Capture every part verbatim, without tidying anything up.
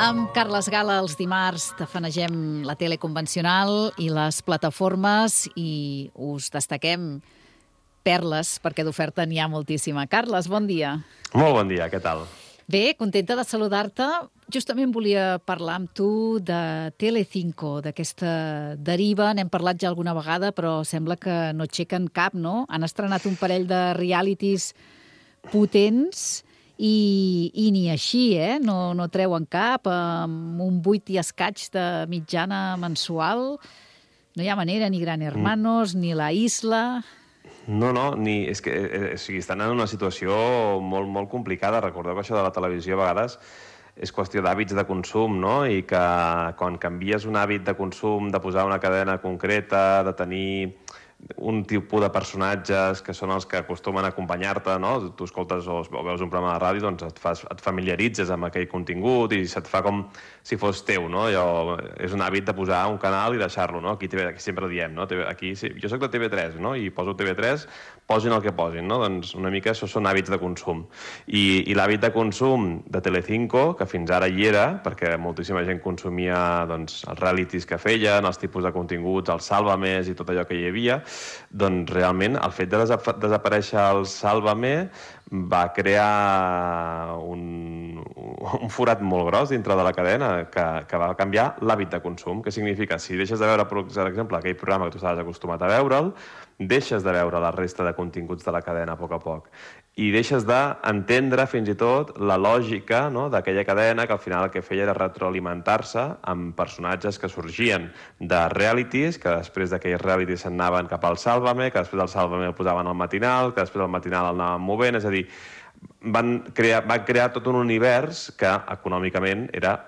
Amb Carles Gala els dimarts tafanegem la tele convencional i les plataformes i us destaquem perles, perquè d'oferta n'hi ha moltíssima. Carles, bon dia. Molt bon dia, què tal? Bé, contenta de saludar-te. Justament volia parlar amb tu de Telecinco, d'aquesta deriva. N'hem parlat ja alguna vegada, però sembla que no aixequen cap, no? Han estrenat un parell de realities potents i, i ni així, eh? No, no treuen cap, amb un vuit i escaig de mitjana mensual. No hi ha manera, ni Gran Hermanos, mm. ni La Isla... No, no, ni, és que eh, o sigui, estan en una situació molt, molt complicada. Recordeu que això de la televisió a vegades és qüestió d'hàbits de consum, no? I que quan canvies un hàbit de consum, de posar una cadena concreta, de tenir un tipus de personatges que són els que acostumen a acompanyar-te, no? Tu escoltes o veus un programa de ràdio, doncs et, fas, et familiaritzes amb aquell contingut i se't fa com si fos teu, no? Allò, és un hàbit de posar un canal i deixar-lo, no? Aquí, T V, aquí sempre diem, no? Aquí, sí, jo soc de T V tres, no? I poso T V tres, posin el que posin, no? Doncs una mica això són hàbits de consum. I, i l'hàbit de consum de Telecinco, que fins ara hi era, perquè moltíssima gent consumia doncs, els realities que feien, els tipus de continguts, el Sálvame i tot allò que hi havia, doncs realment el fet de desaparèixer el Sálvame va crear un, un forat molt gros dintre de la cadena que, que va canviar l'hàbit de consum. Què significa? Si deixes de veure, per exemple, aquell programa que tu estaves acostumat a veure'l, deixes de veure la resta de continguts de la cadena a poc a poc. I deixes d'entendre fins i tot la lògica, no?, d'aquella cadena que al final el que feia era retroalimentar-se amb personatges que sorgien de realities, que després d'aquells realities s'anaven cap al Sálvame, que després del Sálvame el posaven al matinal, que després del matinal el anaven movent, és a dir, van crear, van crear tot un univers que econòmicament era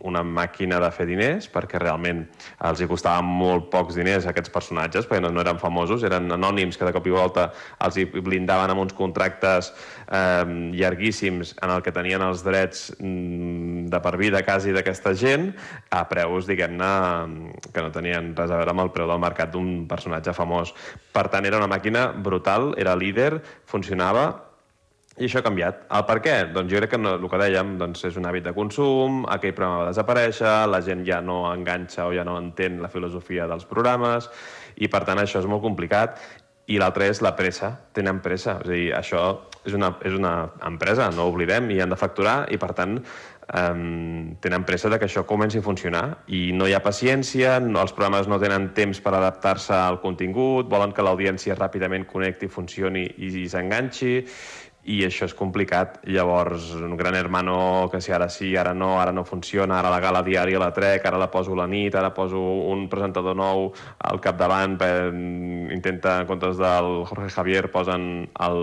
una màquina de fer diners, perquè realment els hi costaven molt pocs diners a aquests personatges, perquè no, no eren famosos, eren anònims que de cop i volta els hi blindaven amb uns contractes eh, llarguíssims en el que tenien els drets mm, de per vida quasi d'aquesta gent, a preus, diguem-ne, que no tenien res a veure amb el preu del mercat d'un personatge famós. Per tant, era una màquina brutal, era líder, funcionava, i això ha canviat. El per què? Doncs jo crec que no, el que dèiem doncs és un hàbit de consum, aquell programa va desaparèixer, la gent ja no enganxa o ja no entén la filosofia dels programes, i per tant això és molt complicat. I l'altre és la pressa. Tenen pressa. És a dir, això és una, és una empresa, no ho oblidem, i han de facturar, i per tant Um, tenen pressa de que això comenci a funcionar i no hi ha paciència, no, els programes no tenen temps per adaptar-se al contingut, volen que l'audiència ràpidament connecti, funcioni i, i s'enganxi, i això és complicat. Llavors, un Gran Hermano que si ara sí, ara no, ara no funciona, ara la gala diària la trec, ara la poso a la nit, ara poso un presentador nou al capdavant, per, intenta, en comptes del Jorge Javier, posen el,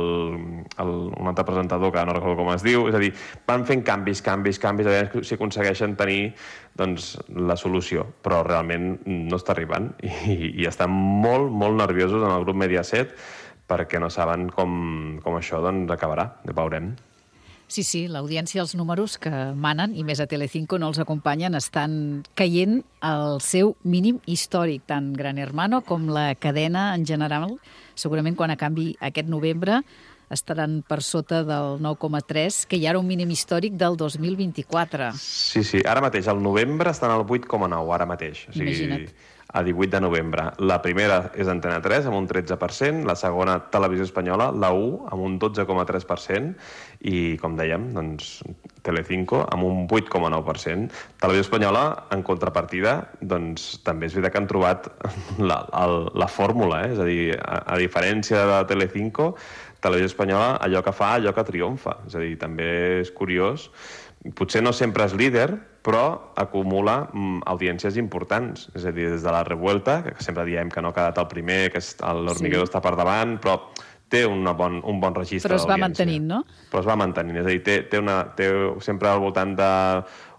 el, un altre presentador que no recordo com es diu. És a dir, van fent canvis, canvis, canvis, a veure si aconsegueixen tenir doncs, la solució, però realment no està arribant i, i estan molt, molt nerviosos en el grup Mediaset, perquè no saben com, com això doncs, acabarà. Ja veurem. Sí, sí, l'audiència, els números que manen, i més a Telecinco no els acompanyen, estan caient al seu mínim històric, tant Gran Hermano com la cadena en general. Segurament quan acabi aquest novembre estaran per sota del nou coma tres, que hi ha un mínim històric del dos mil vint-i-quatre. Sí, sí, ara mateix, al novembre estan al vuit coma nou, ara mateix. O sigui, imagina't. A divuit de novembre. La primera és Antena tres, amb un tretze per cent, la segona, Televisió Espanyola, la u, amb un dotze coma tres per cent, i, com dèiem, doncs, Telecinco, amb un vuit coma nou per cent. Televisió Espanyola, en contrapartida, doncs, també és veritat que han trobat la, el, la fórmula, eh? És a dir, a, a diferència de Telecinco, Televisió Espanyola, allò que fa, allò que triomfa. És a dir, també és curiós. Potser no sempre és líder, però acumula mm, audiències importants. És a dir, des de La Revuelta, que sempre diem que no ha quedat el primer, que l'Hormiguero sí. està per davant, però té una bon, un bon registre d'audiència. Però es va d'audiència. mantenint, no? Però es va mantenint. És a dir, té, té, una, té sempre al voltant de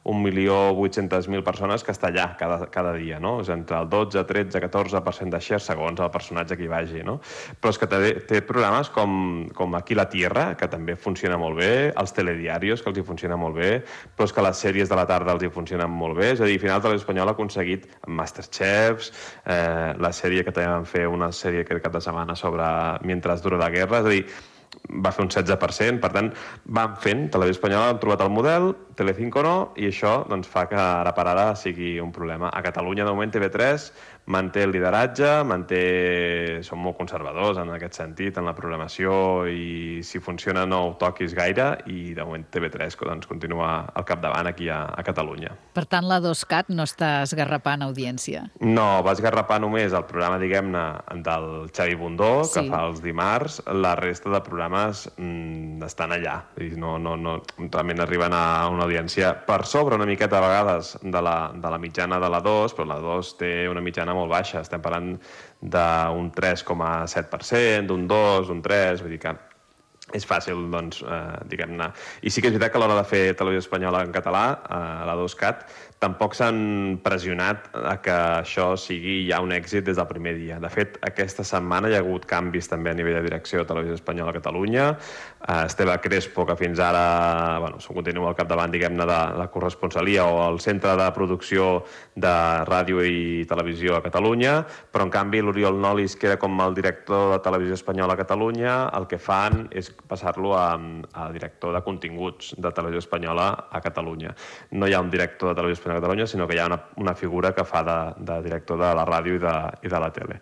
un milió vuit-cents mil persones que està allà cada, cada dia, no? És entre el dotze, tretze, catorze per cent de share segons el personatge que hi vagi, no? Però és que té, té programes com, com Aquí la Tierra, que també funciona molt bé, els telediarios, que els hi funciona molt bé, però és que les sèries de la tarda els hi funcionen molt bé. És a dir, al final Televisió Espanyola ha aconseguit Masterchefs, eh, la sèrie que també van fer, una sèrie aquest cap de setmana sobre Mientras dura la guerra, és a dir, va fer un setze per cent, per tant, van fent, Televisió Espanyola han trobat el model, Telecinco no, i això doncs, fa que ara per ara sigui un problema. A Catalunya, de moment, T V tres manté el lideratge, manté... són molt conservadors en aquest sentit, en la programació, i si funciona no ho toquis gaire, i de moment T V tres doncs, continua al capdavant aquí a, a Catalunya. Per tant, la dos cat no està esgarrapant audiència. No, va esgarrapar només el programa, diguem-ne, del Xavi Bundó, que Sí. fa els dimarts. La resta de programes mm, estan allà. I no, no, no, realment arriben a una audiència per sobre una miqueta a vegades de la, de la mitjana de la dos, però la dos té una mitjana molt baixa. Estem parlant d'un tres coma set per cent, d'un dos, d'un tres, vull dir que és fàcil, doncs, eh, diguem-ne. I sí que és veritat que a l'hora de fer Televisió Espanyola en català, eh, la dos cat, tampoc s'han pressionat a que això sigui ja un èxit des del primer dia. De fet, aquesta setmana hi ha hagut canvis també a nivell de direcció de Televisió Espanyola a Catalunya. Eh, Esteve Crespo, que fins ara bueno, continua al capdavant, diguem-ne, de la corresponsalia o el centre de producció de ràdio i televisió a Catalunya, però en canvi l'Oriol Nolis, que era com el director de Televisió Espanyola a Catalunya, el que fan és passar-lo a, a director de continguts de Televisió Espanyola a Catalunya. No hi ha un director de Televisió Espanyola a Catalunya, sinó que hi ha una, una figura que fa de, de director de la ràdio i de, i de la tele.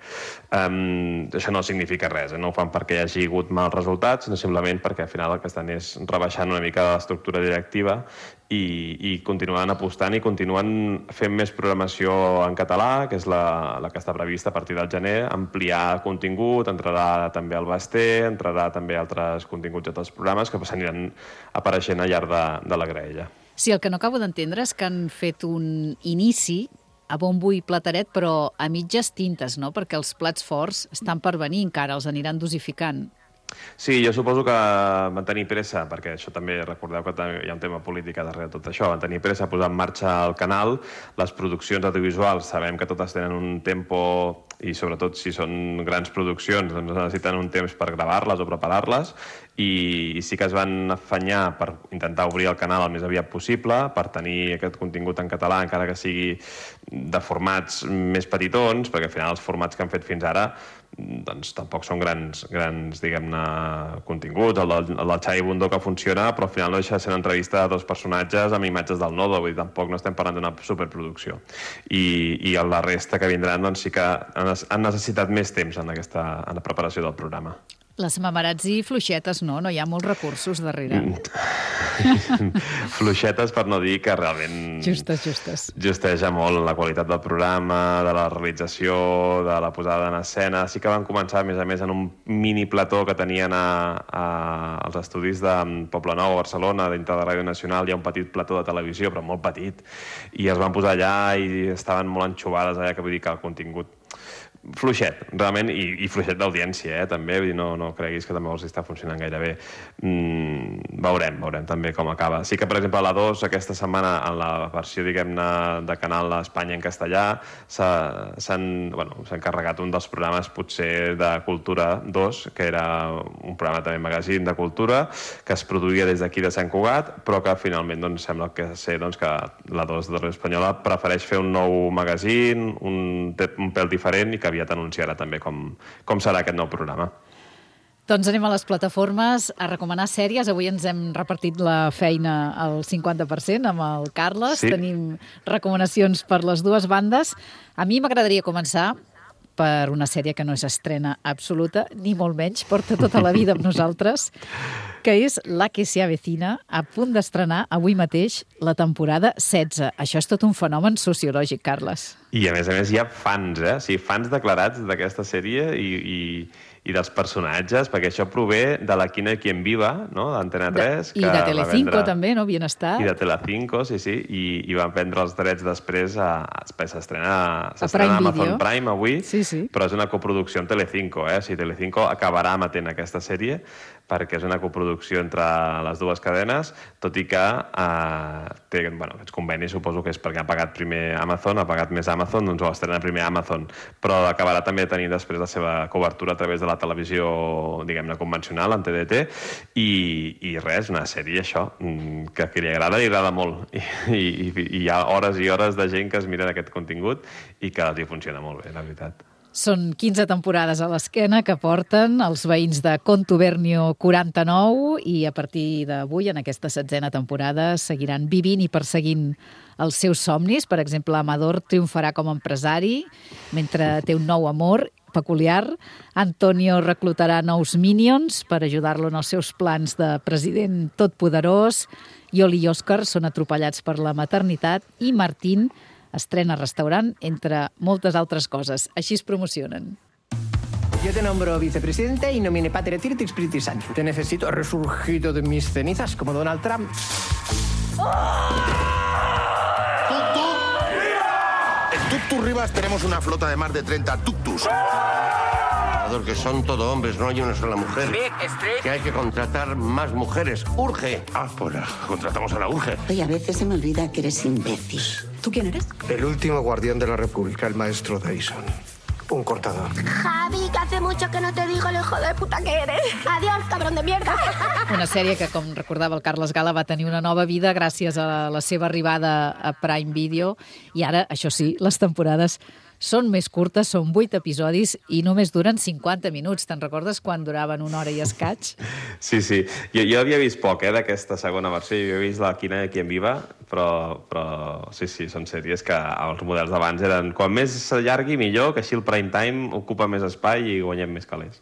Um, això no significa res, eh? No ho fan perquè hi hagi hagut mals resultats, sinó simplement perquè al final el que estan és rebaixant una mica l'estructura directiva i, i continuen apostant i continuen fent més programació en català, que és la, la que està prevista a partir del gener, ampliar contingut, entrarà també el Basté, entrarà també altres continguts d'altres programes que s'aniran apareixent al llarg de, de la graella. Sí, el que no acabo d'entendre és que han fet un inici a bombo i plateret, però a mitges tintes, no? Perquè els plats forts estan per venir encara, els aniran dosificant. Sí, jo suposo que van tenir pressa, perquè això també, recordeu que hi ha un tema polític darrere de tot això, van tenir pressa a posar en marxa el canal. Les produccions audiovisuals sabem que totes tenen un tempo, i sobretot si són grans produccions, doncs necessiten un temps per gravar-les o preparar-les, i sí que es van afanyar per intentar obrir el canal el més aviat possible, per tenir aquest contingut en català, encara que sigui de formats més petitons, perquè al final els formats que han fet fins ara doncs tampoc són grans, grans diguem-ne, continguts. El del, el del Xavi Bundó que funciona, però al final no deixa de ser una entrevista de dos personatges amb imatges del Nodo, vull dir, tampoc no estem parlant d'una superproducció. I, i la resta que vindran doncs sí que han, han necessitat més temps en, aquesta, en la preparació del programa. Les mamarazzi fluixetes, no? No hi ha molts recursos darrere. Fluixetes per no dir que realment... Justes, justes. Justeja molt la qualitat del programa, de la realització, de la posada en escena. Sí que van començar, a més a més, en un mini plató que tenien a, a, als estudis de Poblenou, a Barcelona, dintre de Ràdio Nacional. Hi ha un petit plató de televisió, però molt petit. I es van posar allà i estaven molt enxubades allà, que vull dir que el contingut fluixet, realment, i, i fluixet d'audiència, eh, també, vull dir, no, no creguis que també els està funcionant gaire bé. Mm, veurem, veurem també com acaba. Sí que, per exemple, a la dos, aquesta setmana, en la versió, diguem-ne, de canal a Espanya en castellà, s'han bueno, encarregat un dels programes, potser, de Cultura dos, que era un programa també magazín de cultura, que es produïa des d'aquí de Sant Cugat, però que finalment doncs, sembla que ser doncs, que la dos de Ràdio Espanyola prefereix fer un nou magazín, un, un pèl diferent, i que aviat anunciarà també com, com serà aquest nou programa. Doncs anem a les plataformes a recomanar sèries. Avui ens hem repartit la feina al cinquanta per cent amb el Carles. Sí. Tenim recomanacions per les dues bandes. A mi m'agradaria començar per una sèrie que no és estrena absoluta, ni molt menys, porta tota la vida amb nosaltres, que és La que se avecina, a punt d'estrenar avui mateix la temporada setze. Això és tot un fenomen sociològic, Carles. I, a més a més, hi ha fans, eh? O sigui, fans declarats d'aquesta sèrie i, i, i dels personatges, perquè això prové de la Quina i Quien Viva, no?, d'Antena tres. I de Telecinco, també, no?, Bienestar. I de Telecinco, sí, sí, i, i van prendre els drets després a... S'estrena a Video. Amazon Prime avui, sí, sí. Però és una coproducció amb Telecinco, eh? O sigui, Telecinco acabarà emetent aquesta sèrie perquè és una coproducció entre les dues cadenes, tot i que eh, té, bueno, aquests convenis suposo que és perquè ha pagat primer Amazon, ha pagat més Amazon, doncs ho estrena primer Amazon, però acabarà també tenint després la seva cobertura a través de la televisió, diguem-ne, convencional, en T D T, i, i res, una sèrie, això, que, que li agrada, li agrada molt, i, i, i hi ha hores i hores de gent que es mira aquest contingut i que els hi funciona molt bé, la veritat. Són quinze temporades a l'esquena que porten els veïns de Contubernio quaranta-nou i a partir d'avui, en aquesta setzena temporada, seguiran vivint i perseguint els seus somnis. Per exemple, Amador triomfarà com a empresari mentre té un nou amor peculiar. Antonio reclutarà nous minions per ajudar-lo en els seus plans de president totpoderós. Yoli i Òscar són atropellats per la maternitat i Martín estrena restaurant, entre moltes altres coses. Així es promocionen. Yo te nombro vicepresidente y nomine Pater et Spiritus Sancti. Te necesito resurgido de mis cenizas como Donald Trump. En Tuctus Rivas tenemos una flota de más de treinta tuctus. Que son todo hombres, no hay una sola mujer. Que hay que contratar más mujeres. ¡Urge! Ah, pues la contratamos a la urge. Oye, a veces se me olvida que eres imbécil. ¿Tú quién eres? El último guardián de la República, el maestro Dyson. Un cortador. Javi, que hace mucho que no te digo el hijo de puta que eres. Adiós, cabrón de mierda. Una sèrie que, com recordava el Carles Gala, va tenir una nova vida gràcies a la seva arribada a Prime Video. I ara, això sí, les temporades són més curtes, són vuit episodis i només duren cinquanta minuts. Te'n recordes quan duraven una hora i escaig? Sí, sí. Jo, jo havia vist poc, eh, d'aquesta segona versió. Jo havia vist la Quina i Quien Viva, però, però sí, sí, són sèries que els models d'abans eren quan més s'allargui millor, que així el prime time ocupa més espai i guanyem més calés.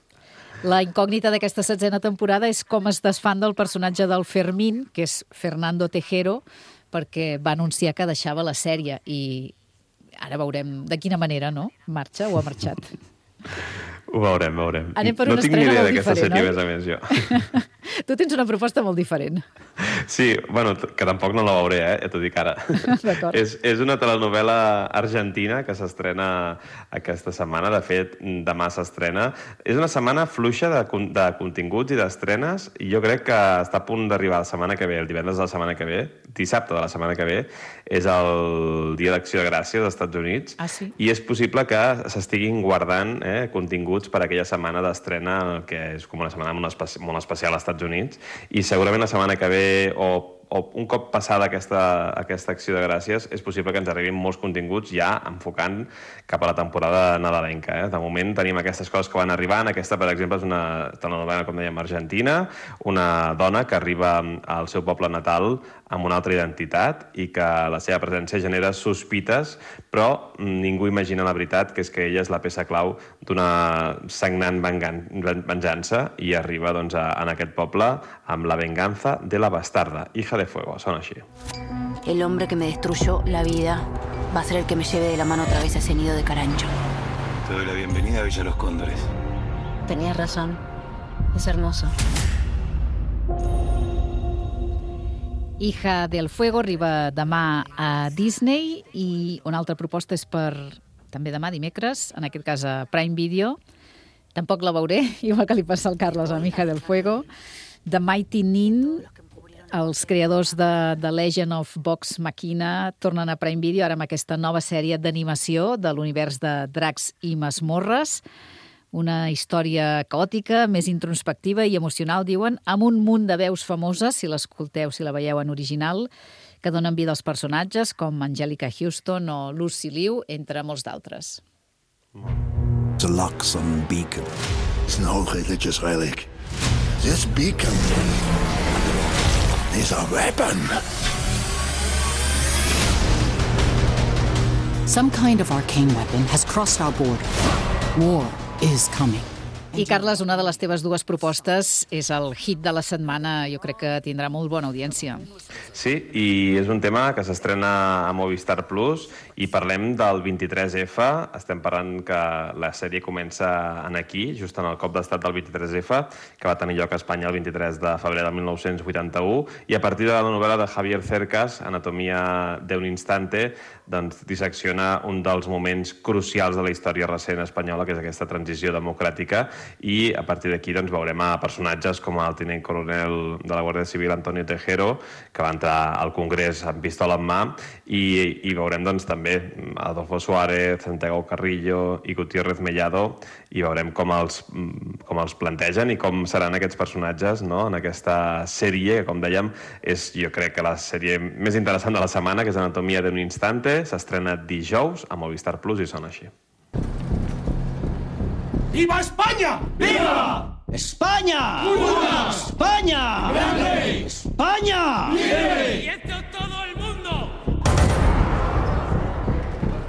La incògnita d'aquesta setzena temporada és com es desfan del personatge del Fermín, que és Fernando Tejero, perquè va anunciar que deixava la sèrie i ara veurem de quina manera, no? Marxa o ha marxat? Ho veurem, veurem. Anem per no una tinc ni estrena idea molt d'aquesta diferent, sèrie, oi? a més a més, jo. Tu tens una proposta molt diferent. Sí, bueno, que tampoc no la veuré, eh? Ja t'ho dic ara. D'acord. És, és una telenovela argentina que s'estrena aquesta setmana. De fet, demà s'estrena. És una setmana fluixa de, de continguts i d'estrenes i jo crec que està a punt d'arribar la setmana que ve, el divendres de la setmana que ve, dissabte de la setmana que ve, és el Dia d'Acció de Gràcies als Estats Units. Ah, sí? I és possible que s'estiguin guardant eh, continguts per aquella setmana d'estrena, que és com una setmana molt, espe molt especial als Estats Units, i segurament la setmana que ve o, o un cop passada aquesta, aquesta acció de gràcies és possible que ens arribin molts continguts ja enfocant cap a la temporada nadalenca. Eh? De moment tenim aquestes coses que van arribant. Aquesta, per exemple, és una telenovela, com dèiem, argentina, una dona que arriba al seu poble natal amb una altra identitat i que la seva presència genera sospites, però ningú imagina la veritat, que és que ella és la peça clau d'una sagnant venjança i arriba doncs, a, en aquest poble amb la venganza de la bastarda, hija de fuego, sona així. El hombre que me destruyó la vida va a ser el que me lleve de la mano otra vez a ese nido de carancho. Te doy la bienvenida a Villa Los Cóndores. Tenías razón. Es hermoso. Hija del Fuego arriba demà a Disney i una altra proposta és per també demà dimecres, en aquest cas a Prime Video. Tampoc la veuré, igual que li passa al Carles amb Hija del Fuego. The Mighty Nin, els creadors de The Legend of Vox Machina tornen a Prime Video ara amb aquesta nova sèrie d'animació de l'univers de Dracs i Masmorres. Una història caòtica, més introspectiva i emocional, diuen, amb un munt de veus famoses, si l'escolteu, si la veieu en original, que donen vida als personatges, com Angelica Houston o Lucy Liu, entre molts d'altres. The Luxon beacon is no religious relic. This beacon is a weapon. Some kind of arcane weapon has crossed our border. War is coming. I, Carles, una de les teves dues propostes és el hit de la setmana. Jo crec que tindrà molt bona audiència. Sí, i és un tema que s'estrena a Movistar Plus i parlem del vint-i-tres efa. Estem parlant que la sèrie comença en aquí, just en el cop d'estat del vint-i-tres efa, que va tenir lloc a Espanya el vint-i-tres de febrer del mil nou-cents vuitanta-u, i a partir de la novel·la de Javier Cercas, Anatomia de un instante, doncs dissecciona un dels moments crucials de la història recent espanyola, que és aquesta transició democràtica, i a partir d'aquí doncs, veurem a personatges com el tinent coronel de la Guàrdia Civil, Antonio Tejero, que va entrar al Congrés amb pistola en mà, i, i veurem doncs, també Adolfo Suárez, Santiago Carrillo i Gutiérrez Mellado, i veurem com els, com els plantegen i com seran aquests personatges, no?, en aquesta sèrie, que, com dèiem, és, jo crec que la sèrie més interessant de la setmana, que és Anatomia de un instante, s'estrena dijous a Movistar Plus i sona així. ¡Viva España! ¡Viva! ¡España! ¡Una! ¡España! ¡Grande! ¡España! ¡Vive! ¡Y esto todo el mundo!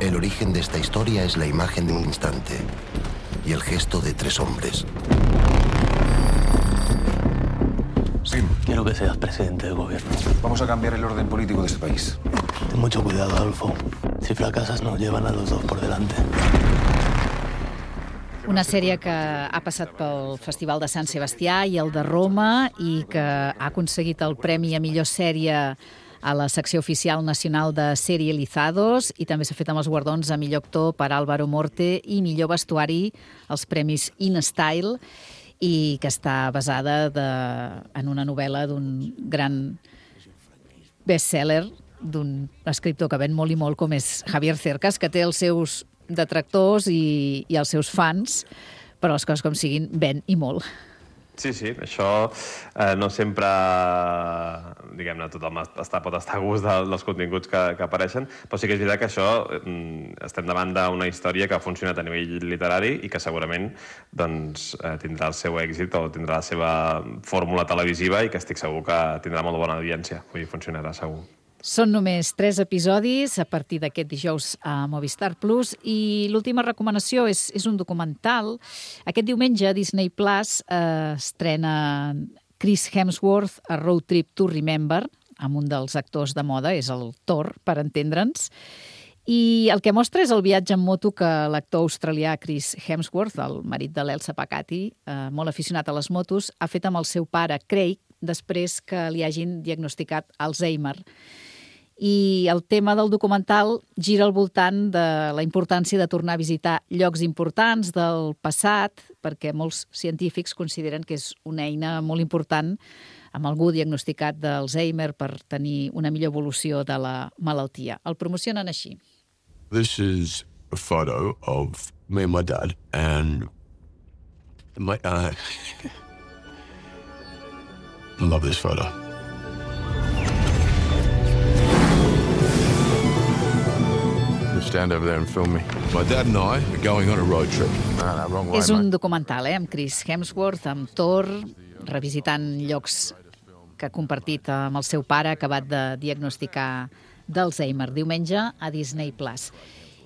El origen de esta historia es la imagen de un instante y el gesto de tres hombres. Sim, quiero que seas presidente del gobierno. Vamos a cambiar el orden político de este país. Ten mucho cuidado, Adolfo. Si fracasas, nos llevan a los dos por delante. Una sèrie que ha passat pel Festival de Sant Sebastià i el de Roma i que ha aconseguit el Premi a millor sèrie a la secció oficial nacional de Serializados i també s'ha fet amb els guardons a millor actor per Álvaro Morte i millor vestuari als Premis InStyle i que està basada de, en una novel·la d'un gran bestseller d'un escriptor que ven molt i molt com és Javier Cercas, que té els seus detractors i, i els seus fans, però les coses com siguin, ven i molt. Sí, sí, això eh, no sempre, diguem-ne, tothom està, pot estar a gust de, dels continguts que, que apareixen, però sí que és veritat que això eh, estem davant d'una història que ha funcionat a nivell literari i que segurament doncs, eh, tindrà el seu èxit o tindrà la seva fórmula televisiva i que estic segur que tindrà molt bona audiència, vull dir, funcionarà segur. Són només tres episodis a partir d'aquest dijous a Movistar Plus i l'última recomanació és, és un documental. Aquest diumenge Disney Plus eh, estrena Chris Hemsworth a Road Trip to Remember, amb un dels actors de moda, és el Thor, per entendre'ns. I el que mostra és el viatge en moto que l'actor australià Chris Hemsworth, el marit de l'Elsa Pacati, eh, molt aficionat a les motos, ha fet amb el seu pare Craig després que li hagin diagnosticat Alzheimer. I el tema del documental gira al voltant de la importància de tornar a visitar llocs importants del passat, perquè molts científics consideren que és una eina molt important amb algú diagnosticat d'Alzheimer per tenir una millor evolució de la malaltia. El promocionen així. This is a photo of me and my dad, and my, uh, I love this photo. Stand over there and film me. My dad and I are going on a road trip. No, no, wrong way, És un mate. documental, eh, amb Chris Hemsworth, amb Thor, revisitant llocs que ha compartit amb el seu pare, acabat de diagnosticar d'Alzheimer. Diumenge a Disney Plus.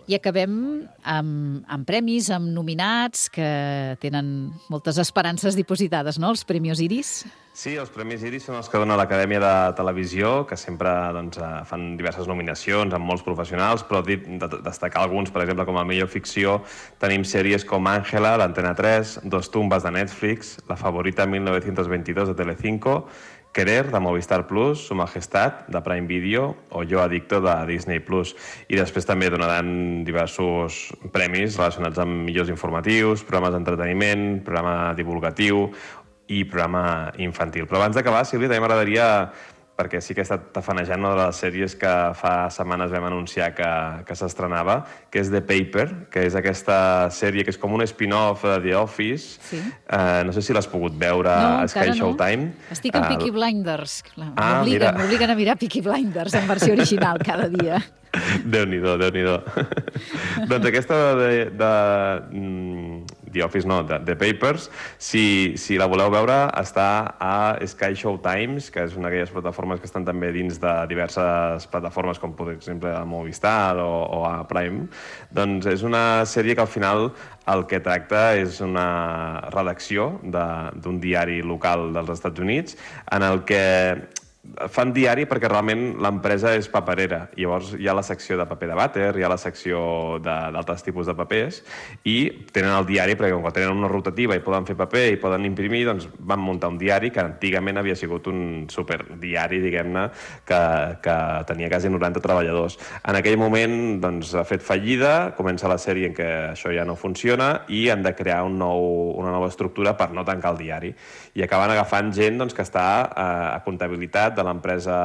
I acabem amb, amb premis, amb nominats que tenen moltes esperances dipositades, no?, els Premis Iris. Sí, els Premis Iris són els que dona l'Acadèmia de Televisió, que sempre doncs, fan diverses nominacions amb molts professionals, però de destacar alguns, per exemple, com a millor ficció, tenim sèries com Ángela, d'Antena tres, Dos tumbas de Netflix, La favorita mil novecientos veintidós de Telecinco, Querer, de Movistar Plus, Su Majestad, de Prime Video, o Yo Adicto, de Disney Plus. I després també donaran diversos premis relacionats amb millors informatius, programes d'entreteniment, programa divulgatiu i programa infantil. Però abans d'acabar, Sílvia, també m'agradaria, perquè sí que he estat tafanejant una de les sèries que fa setmanes vam anunciar que, que s'estrenava, que és The Paper, que és aquesta sèrie que és com un spin-off de The Office. Sí. Uh, no sé si l'has pogut veure no, a Sky Showtime. No. Estic en uh, Peaky Blinders. Ah, M'obliguen a mirar Peaky Blinders en versió original cada dia. Déu-n'hi-do, Déu-n'hi-do. Doncs aquesta de, de, de The Office, no, de The Papers, si, si la voleu veure, està a Sky Showtimes, que és una d'aquelles plataformes que estan també dins de diverses plataformes, com per exemple a Movistar o, o a Prime. Doncs és una sèrie que al final el que tracta és una redacció d'un diari local dels Estats Units en el que fan diari perquè realment l'empresa és paperera. Llavors hi ha la secció de paper de vàter, hi ha la secció d'altres tipus de papers i tenen el diari perquè quan tenen una rotativa i poden fer paper i poden imprimir, doncs van muntar un diari que antigament havia sigut un superdiari, diguem-ne, que, que tenia quasi noranta treballadors. En aquell moment doncs, ha fet fallida, comença la sèrie en què això ja no funciona i han de crear un nou, una nova estructura per no tancar el diari. I acaben agafant gent doncs, que està a, a comptabilitat, de l'empresa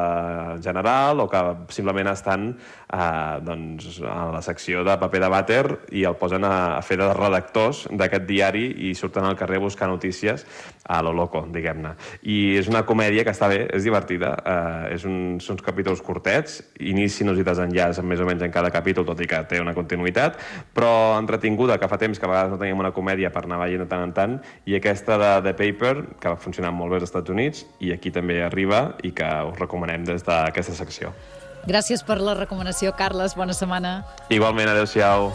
general o que simplement estan eh, doncs, a la secció de paper de vàter i el posen a, a fer de redactors d'aquest diari i surten al carrer a buscar notícies a lo loco, diguem-ne. I és una comèdia que està bé, és divertida, eh, és un, són uns capítols curtets, inicis i desenllaç més o menys en cada capítol, tot i que té una continuïtat, però entretinguda, que fa temps que a vegades no teníem una comèdia per anar veient de tant en tant, i aquesta de The Paper, que va funcionar molt bé als Estats Units, i aquí també arriba, i que us recomanem des d'aquesta secció. Gràcies per la recomanació, Carles. Bona setmana. Igualment, adéu-siau.